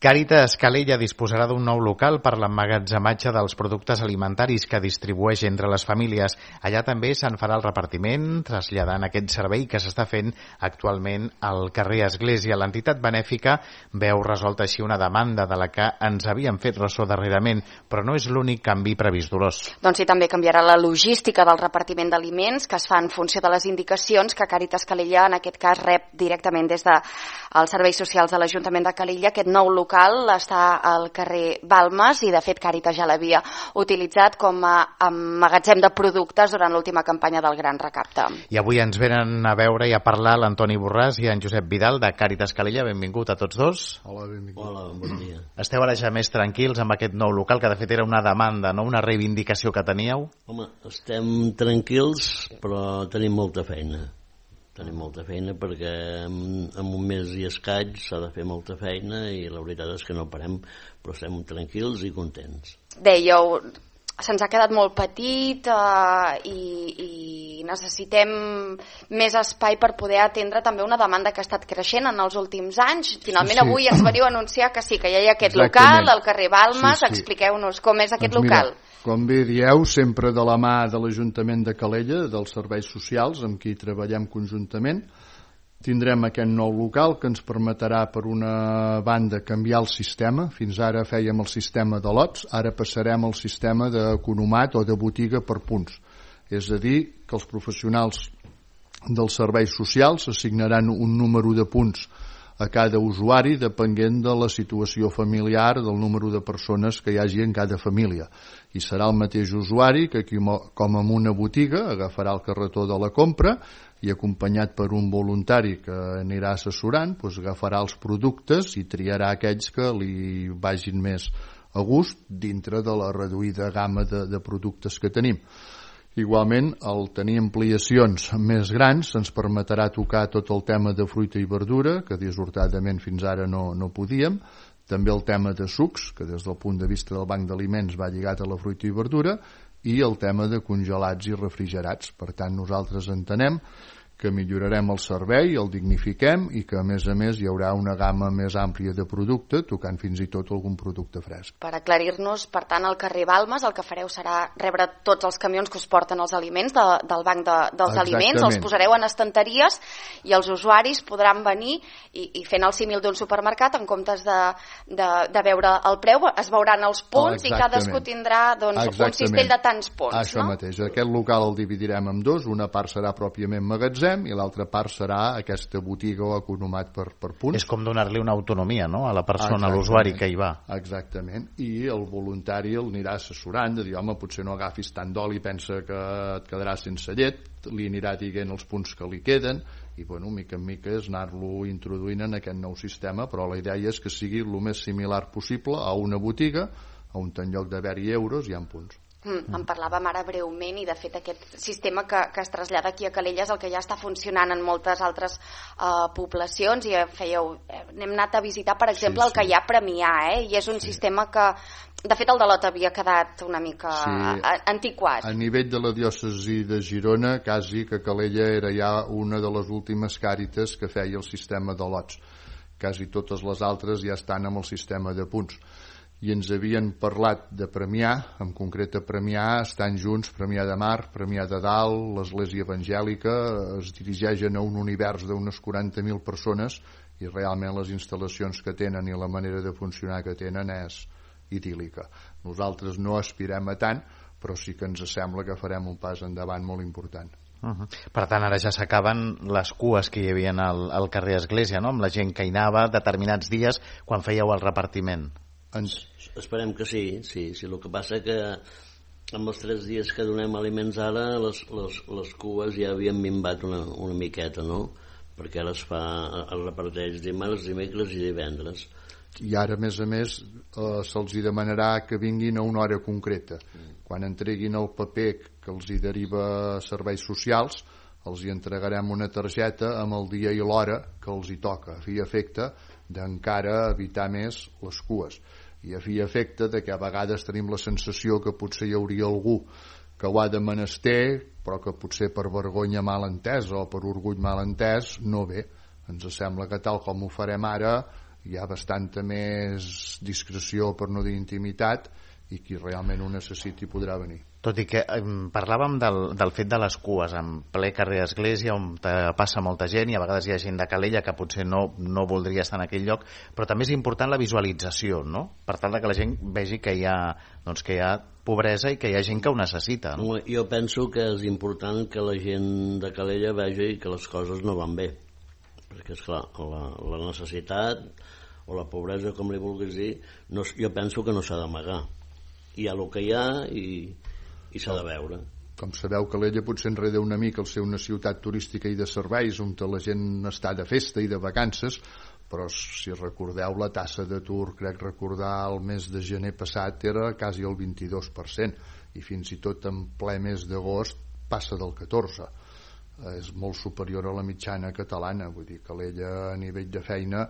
Càritas Calella disposarà d'un nou local per l'emmagatzematge dels productes alimentaris que distribueix entre les famílies. Allà també se'n farà el repartiment, traslladant aquest servei que s'està fent actualment al carrer Església. L'entitat benèfica veu resolta així una demanda de la que ens havien fet ressò darrerament, però no és l'únic canvi previst, Dolors. Doncs sí, també canviarà la logística del repartiment d'aliments, que es fa en funció de les indicacions que Càritas Calella, en aquest cas, rep directament des dels serveis socials de l'Ajuntament de Calella. Aquest nou local està al carrer Balmes i, de fet, Càritas ja l'havia utilitzat com a magatzem de productes durant l'última campanya del Gran Recapte. I avui ens venen a veure i a parlar l'Antoni Borràs i en Josep Vidal de Càritas Calella. Benvingut a tots dos. Hola, benvingut. Hola, bon dia. Esteu ara ja més tranquils amb aquest nou local, que de fet era una demanda, no una reivindicació que teníeu? Home, estem tranquils, però tenim molta feina. Tenim molta feina perquè en un mes i escaig s'ha de fer molta feina i la veritat és que no parem, però estem tranquils i contents. Dèieu, se'ns ha quedat molt petit i necessitem més espai per poder atendre també una demanda que ha estat creixent en els últims anys. Finalment avui ens veniu a anunciar que sí, que ja hi ha aquest local al carrer Balmes. Expliqueu-nos com és aquest local. Com bé dieu, sempre de la mà de l'Ajuntament de Calella, dels serveis socials, amb qui treballem conjuntament, tindrem aquest nou local que ens permetrà, per una banda, canviar el sistema. Fins ara fèiem el sistema de lots, ara passarem al sistema d'economat o de botiga per punts. És a dir, que els professionals dels serveis socials assignaran un número de punts a cada usuari depenent de la situació familiar, del número de persones que hi hagi en cada família. I serà el mateix usuari que, com en una botiga, agafarà el carretó de la compra i, acompanyat per un voluntari que anirà assessorant, agafarà els productes i triarà aquells que li vagin més a gust dintre de la reduïda gamma de productes que tenim. Igualment, el tenir ampliacions més grans ens permetrà tocar tot el tema de fruita i verdura, que dissortadament fins ara no podíem, també el tema de sucs, que des del punt de vista del banc d'aliments va lligat a la fruita i verdura, i el tema de congelats i refrigerats. Per tant, nosaltres entenem que millorarem el servei, el dignifiquem i que, a més, hi haurà una gamma més àmplia de producte, tocant fins i tot algun producte fresc. Per aclarir-nos, per tant, al carrer Balmes el que fareu serà rebre tots els camions que us porten els aliments del banc dels aliments, els posareu en estanteries i els usuaris podran venir i fent el símil d'un supermercat, en comptes de veure el preu, es veuran els punts i cadascú tindrà un cistell de tants punts. Això mateix. Aquest local el dividirem en dos, una part serà pròpiament magatzem i l'altra part serà aquesta botiga o economat per punts. És com donar-li una autonomia, no?, a la persona, a l'usuari que hi va. Exactament. I el voluntari el anirà assessorant, de dir, home, potser no agafis tant d'oli, pensa que et quedarà sense llet, li anirà dient els punts que li queden i, mica en mica és anar-lo introduint en aquest nou sistema, però la idea és que sigui el més similar possible a una botiga, on en lloc d'haver-hi euros hi ha punts. En parlàvem ara breument i, de fet, aquest sistema que es trasllada aquí a Calella és el que ja està funcionant en moltes altres poblacions i n'hem anat a visitar, per exemple, el que hi ha a Premià, i és un sistema que, de fet, el de Lot havia quedat una mica antiquat. A nivell de la diòcesi de Girona, quasi que Calella era ja una de les últimes càritas que feia el sistema de lots. Quasi totes les altres ja estan amb el sistema de punts. I ens havien parlat de Premià, en concret a Premià estan junts Premià de Mar, Premià de Dalt, l'Església Evangèlica, es dirigeixen a un univers d'unes 40.000 persones i realment les instal·lacions que tenen i la manera de funcionar que tenen és idíl·lica. Nosaltres no aspirem a tant, però sí que ens sembla que farem un pas endavant molt important. Per tant, ara ja s'acaben les cues que hi havia al carrer Església, no?, amb la gent que hi anava determinats dies quan fèieu el repartiment. Esperem que sí. El que passa que amb els 3 dies que donem aliments ara les cues ja havien minvat una miqueta, no? Perquè ara es reparteix dimarts, dimecres i divendres. I ara, a més, se'ls demanarà que vinguin a una hora concreta. Quan entreguin el paper que els hi deriva serveis socials, els hi entregarem una targeta amb el dia i l'hora que els hi toca, a fi i efecte d'encara evitar més les cues. I a fi i efecte de que a vegades tenim la sensació que potser hi hauria algú que ho ha de menester, però que potser per vergonya mal entesa o per orgull mal entès no ve. Ens sembla que tal com ho farem ara hi ha bastanta més discreció, per no dir intimitat, i qui realment ho necessiti podrà venir. Tot i que parlàvem del fet de les cues en ple carrer Església, on passa molta gent i a vegades hi ha gent de Calella que potser no voldria estar en aquell lloc, però també és important la visualització, no? Per tal que la gent vegi que hi ha pobresa i que hi ha gent que ho necessita, no? Jo penso que és important que la gent de Calella vegi que les coses no van bé, perquè esclar, la necessitat o la pobresa, com li vulguis dir, jo penso que no s'ha d'amagar. Hi ha el que hi ha i s'ha de veure. Com sabeu, Calella potser enreda una mica el ser una ciutat turística i de serveis on la gent està de festa i de vacances, però si recordeu la tassa d'atur, crec recordar el mes de gener passat era quasi el 22%, i fins i tot en ple mes d'agost passa del 14%. És molt superior a la mitjana catalana. Vull dir, Calella a nivell de feina,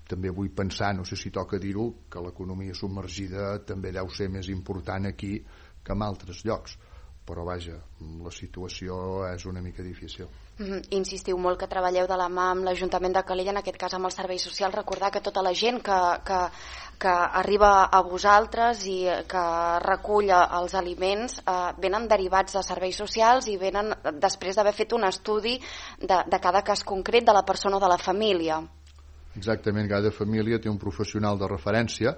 també vull pensar, no sé si toca dir-ho, que l'economia submergida també deu ser més important aquí que en altres llocs, però vaja, la situació és una mica difícil. Insistiu molt que treballeu de la mà amb l'Ajuntament de Calella, en aquest cas amb els serveis socials. Recordar que tota la gent que arriba a vosaltres i que recull els aliments venen derivats de serveis socials i venen després d'haver fet un estudi de cada cas concret de la persona o de la família. Exactament, cada família té un professional de referència.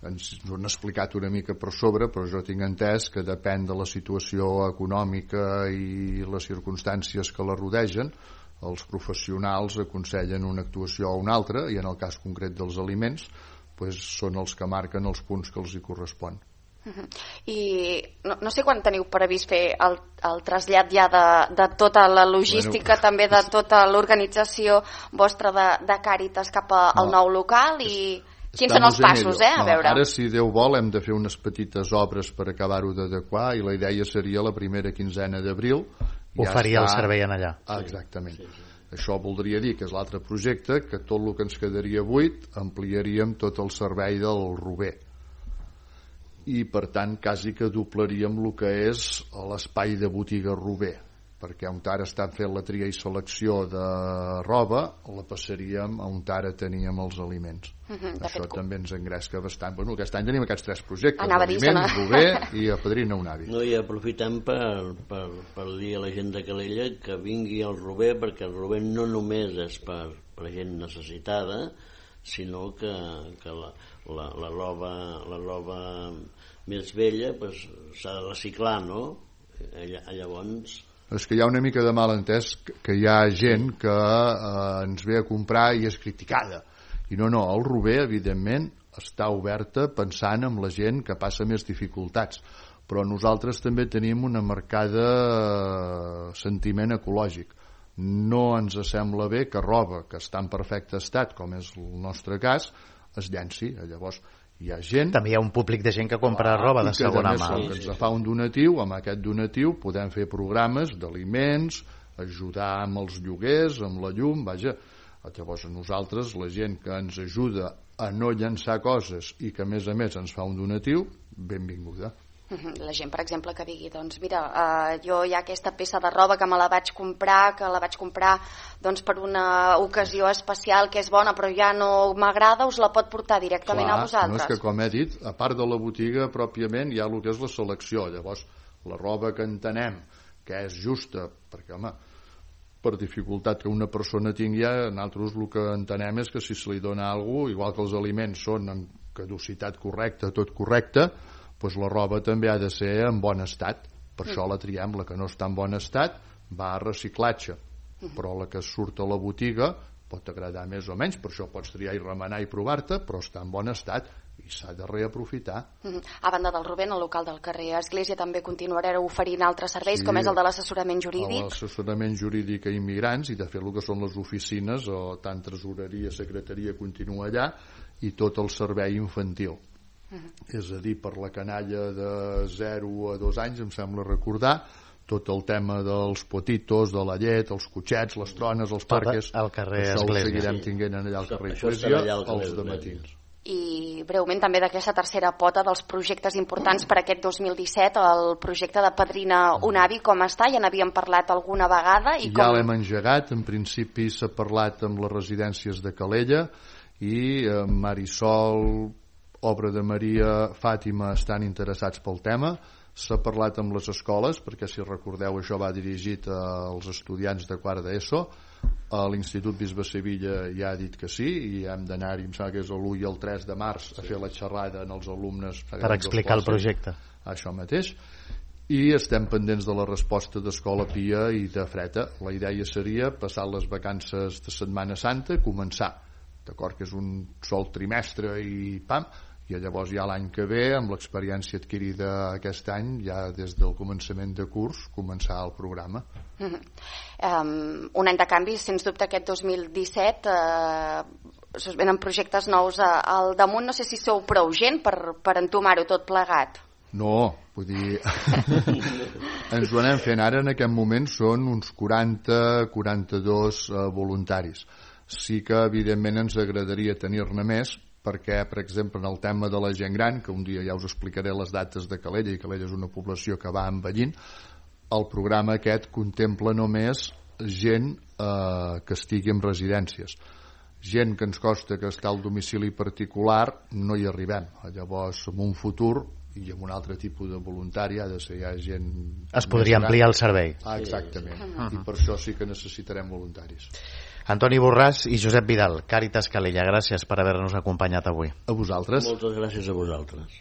Ens ho han explicat una mica per sobre, però jo tinc entès que depèn de la situació econòmica i les circumstàncies que la rodegen, els professionals aconsellen una actuació o una altra, i en el cas concret dels aliments són els que marquen els punts que els hi correspon. I no sé quan teniu previst fer el trasllat ja de tota la logística, també de tota l'organització vostra de Càritas cap al nou local, i quins són els passos, a veure? Ara, si Déu vol, hem de fer unes petites obres per acabar-ho d'adequar, i la idea seria la primera quinzena d'abril oferir el servei en allà. Exactament. Això voldria dir que és l'altre projecte, que tot el que ens quedaria buit ampliaríem tot el servei del Rober, i per tant quasi que doblaríem el que és l'espai de botiga Rober, perquè on ara estan fent la tria i selecció de roba la passaríem on ara teníem els aliments. Això també ens engresca bastant. Aquest any tenim aquests 3 projectes: aliments, Rober i Padrina un avi. I aprofitem per dir a la gent de Calella que vingui al Rober, perquè el Rober no només és per gent necessitada, sinó que la roba més vella s'ha de reciclar, no? Llavors... És que hi ha una mica de malentès, que hi ha gent que ens ve a comprar i és criticada. I no, el Rober, evidentment, està oberta pensant en la gent que passa més dificultats. Però nosaltres també tenim una marcada sentiment ecològic. No ens sembla bé que roba que està en perfecte estat, com és el nostre cas, es llenci. Llavors hi ha gent... També hi ha un públic de gent que compra roba de segona mà. Que ens fa un donatiu, amb aquest donatiu podem fer programes d'aliments, ajudar amb els lloguers, amb la llum, vaja. Llavors nosaltres, la gent que ens ajuda a no llançar coses i que a més ens fa un donatiu, benvinguda. La gent, per exemple, que digui, doncs mira, jo hi ha aquesta peça de roba que me la vaig comprar, doncs, per una ocasió especial que és bona però ja no m'agrada, us la pot portar directament a vosaltres. No, és que, com he dit, a part de la botiga pròpiament hi ha el que és la selecció. Llavors la roba que entenem que és justa, perquè home, per dificultat que una persona tingui, nosaltres el que entenem és que si se li dona alguna cosa, igual que els aliments són en caducitat correcta, tot correcte, doncs la roba també ha de ser en bon estat. Per això la triem. La que no està en bon estat va a reciclatge, però la que surt a la botiga pot agradar més o menys, per això pots triar i remenar i provar-te, però està en bon estat i s'ha de reaprofitar. A banda del Rober, al local del carrer Església també continuareu oferint altres serveis, com és el de l'assessorament jurídic. L'assessorament jurídic a immigrants, i de fet el que són les oficines, o tant tresoreria, secretaria, continua allà, i tot el servei infantil. És a dir, per la canalla de 0 a 2 anys, em sembla recordar, tot el tema dels potitos, de la llet, els cotxets, les trones, els parques, al carrer això Església. ho seguirem tinguent allà al carrer Església, els dematins. I breument també d'aquesta tercera pota dels projectes importants per aquest 2017, el projecte de Padrina un avi, com està? Ja n'havíem parlat alguna vegada? Ja l'hem engegat. En principi s'ha parlat amb les residències de Calella i Marisol, Obra de Maria, Fàtima estan interessats pel tema. S'ha parlat amb les escoles, perquè si recordeu això va dirigit als estudiants de quart d'ESO. L'Institut Bisbe Sevilla ja ha dit que sí, i hem d'anar-hi, em sembla que és l'1 i el 3 de març, a fer la xerrada en els alumnes per explicar el projecte. Això mateix. I estem pendents de la resposta d'Escola Pia i de Freta. La idea seria, passar les vacances de Setmana Santa, començar, d'acord que és un sol trimestre i pam, i llavors ja l'any que ve, amb l'experiència adquirida aquest any, ja des del començament de curs, començar el programa. Un any de canvi, sens dubte aquest 2017 es venen projectes nous al damunt. No sé si sou prou gent per entomar-ho tot plegat. No, vull dir, ens ho anem fent ara. En aquest moment són uns 40-42 voluntaris. Sí que evidentment ens agradaria tenir-ne més, perquè, per exemple, en el tema de la gent gran, que un dia ja us explicaré les dates de Calella, i Calella és una població que va envellint, el programa aquest contempla només gent que estigui en residències. Gent que ens costa que està al domicili particular, no hi arribem. Llavors, en un futur, i amb un altre tipus de voluntari, ha de ser ja gent... Es podria ampliar el servei. Exactament. I per això sí que necessitarem voluntaris. Antoni Borràs i Josep Vidal, Càritas Calella, gràcies per haver-nos acompanyat avui. A vosaltres. Moltes gràcies a vosaltres.